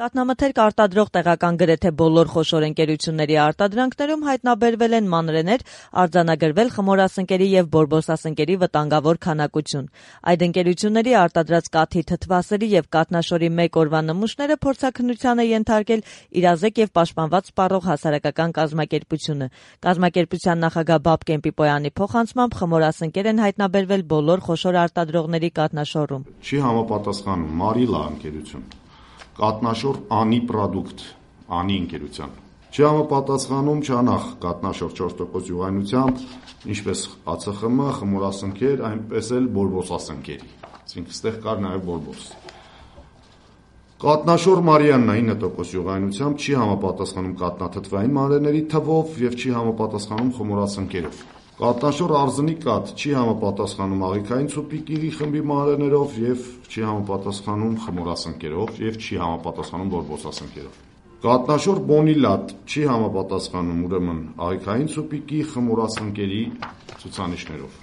Կաթնամթերք արտադրող տեղական գրեթե բոլոր խոշոր ընկերությունների արտադրանքներում հայտնաբերվել են մանրէներ, արձանագրվել խմորասնկերի եւ բորբոսասնկերի վտանգավոր քանակություն։ Այդ ընկերությունների արտադրած կաթի թթվասերի եւ կաթնաշորի 1 օրվա նմուշները փորձաքննության է ենթարկել իրազեկ եւ պաշտպանված սպառող հասարակական կազմակերպությունը։ Կազմակերպության նախագահ Բաբկեն Պիպոյանի փոխանցմամբ խմորասնկեր են հայտնաբերվել բոլոր խոշոր արտադրողների կաթնաշորում։ Չի համապատասխանում Մարիլա ընկերություն, կատնաշոր անի պրոդուկտ, անի ընկերության։ Չի համապատասխանում Չանախ կատնաշոր 4% յուղայնությամբ, ինչպես ԱՑԽՄ, խմորասնկեր, այնպես էլ բորբոսասնկերի։ Այսինքն ստեղ կար նաև բորբոս։ Կատնաշոր Մարիաննա 9% յուղայնությամբ չի համապատասխանում կատնաթթվային մանրէների թվով եւ չի համապատասխանում խմորասնկերով։ Կատնաշոր Արզնի կաթ չի համապատասխանում աղիքային ցուպիկի խմբի մանրէներով եւ չի համապատասխանում խմորասնկերով եւ չի համապատասխանում բորբոսասնկերով։ Կատնաշոր Բոնիլատ չի համապատասխանում ուրեմն աղիքային ցուպիկի խմորասնկերի ցուցանիշներով։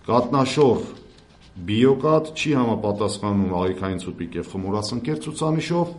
Կատնաշոր Բիոկատ չի համապատասխանում աղիքային ցուպիկ եւ խմորասնկեր ցուցանիշով։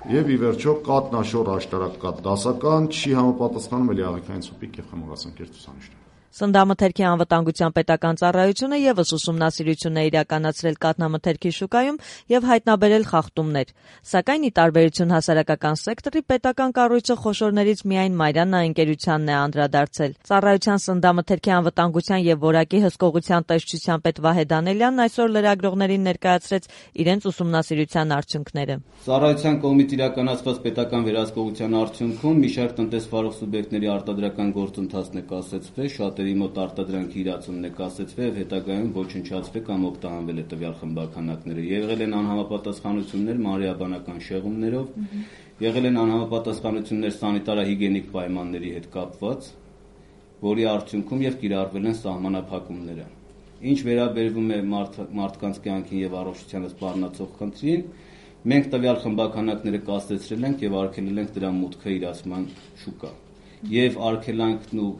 Եվ ի վերջո կատնաշոր աշտարակկաթ դասական չի համապատասխանում էլի աղիքային ցուպիկ եւ խմորասնկեր ցուցանիշներով։ Սննդամթերքի անվտանգության պետական ծառայությունը եւս ուսումնասիրություն է իրականացրել կաթնամթերքի շուկայում եւ հայտնաբերել խախտումներ։ Սակայն ի տարբերություն հասարակական սեկտորի, պետական կառույցը խոշորներից միայն Մարիաննա ընկերությանն է անդրադարձել։ Ծառայության սննդամթերքի անվտանգության եւ որակի հսկողության տեսչության պետ Վահե Դանելյանն այսօր լրագրողներին ներկայացրեց իրենց ուսումնասիրության արդյունքները։ Ծառայության կողմից իրականացված պետական վերահսկողության արդյունքում մի շարք տնտեսվարող սուբյեկտների արտադրական գործընթացն է կասեցվել, շատերի մոտ արտադրանքի իրացումն է կասեցվել եւ հետագայում ոչնչացվել կամ օգտահանվել է տվյալ խմբականակները։ Եղել են անհամապատասխանություններ մանրէաբանական շեղումներով, եղել են անհամապատասխանություններ սանիտարահիգիենիկ պայմանների հետ կապված, որի արդյունքում եւ կիրառվել են սահմանափակումները։ Ինչ վերաբերվում է մարդկանց կյանքին եւ առողջությանը սպառնացող խնդրին, մենք տվյալ խմբականակները կասեցրել ենք եւ արգելել ենք դրա մուտքը իրացման շուկա։ Եվ արգելանքն ու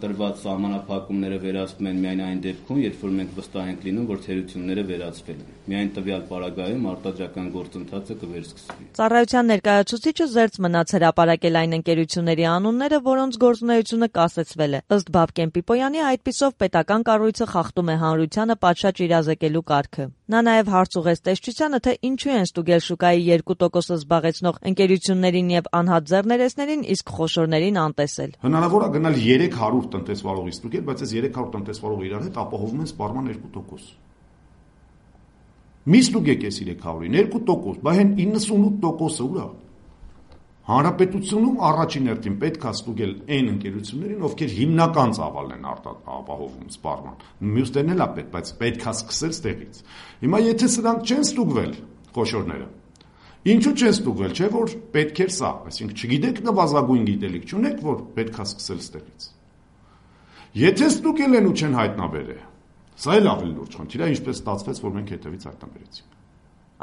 տրված սահմանափակումները վերացվում են միայն այն դեպքում, երբ որ մենք վստահ ենք լինում, որ թերությունները վերացվել են։ Միայն տվյալ պարագայում արտադրական գործընթացը կվերսկսվի։ Ծառայության ներկայացուցիչը զերծ մնաց հրապարակել այն ընկերությունների անունները, որոնց գործունեությունը կասեցվել է։ Ըստ Բաբկեն Պիպոյանի, այդպիսով պետական կառույցը խախտում է հանրությանը պատշաճ իրազեկելու կարգը։ Նա նաև հարց ուղղեց տեսչությանը, թե ինչու են ստուգել շուկայի 2% զբաղեցնող ընկերություններին եւ անհատ ձեռներեցներին, իսկ խոշորներին անտեսել։ Հնարավոր է գնալ 300 տնտեսվարողի ստուգել, բայց այս 300 տնտեսվարողը իրար հետ ապահովում են սպառման 2%։ Մի ստուգեք այս 300-ին 2%, բայց այն 98%-ը ուր է։ Հանրապետությունում առաջին հերթին պետք է ստուգել այն ընկերություններին, ովքեր հիմնական ծավալն են ապահովում սպառման։ Մյուսներն էլ է պետք, բայց պետք է սկսել ստեղից։ Հիմա եթե սրանք չեն ստուգվել, խոշորները, ինչու չեն ստուգվել, չէ՞ որ պետք էր սա, այսինքն չգիտեք նվազագույն գիտելիք չունեք, որ պետք է սկսել ստեղից։ Եթե ստուգել են ու չեն հայտնաբերել, սա էլ ավելի լուրջ խնդիր է, ինչպես ստացվեց, որ մենք հետևից հայտնաբերեցինք։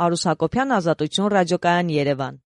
Արուս Հակոբյան, Ազատություն, Ռադիոկայան, Երևան։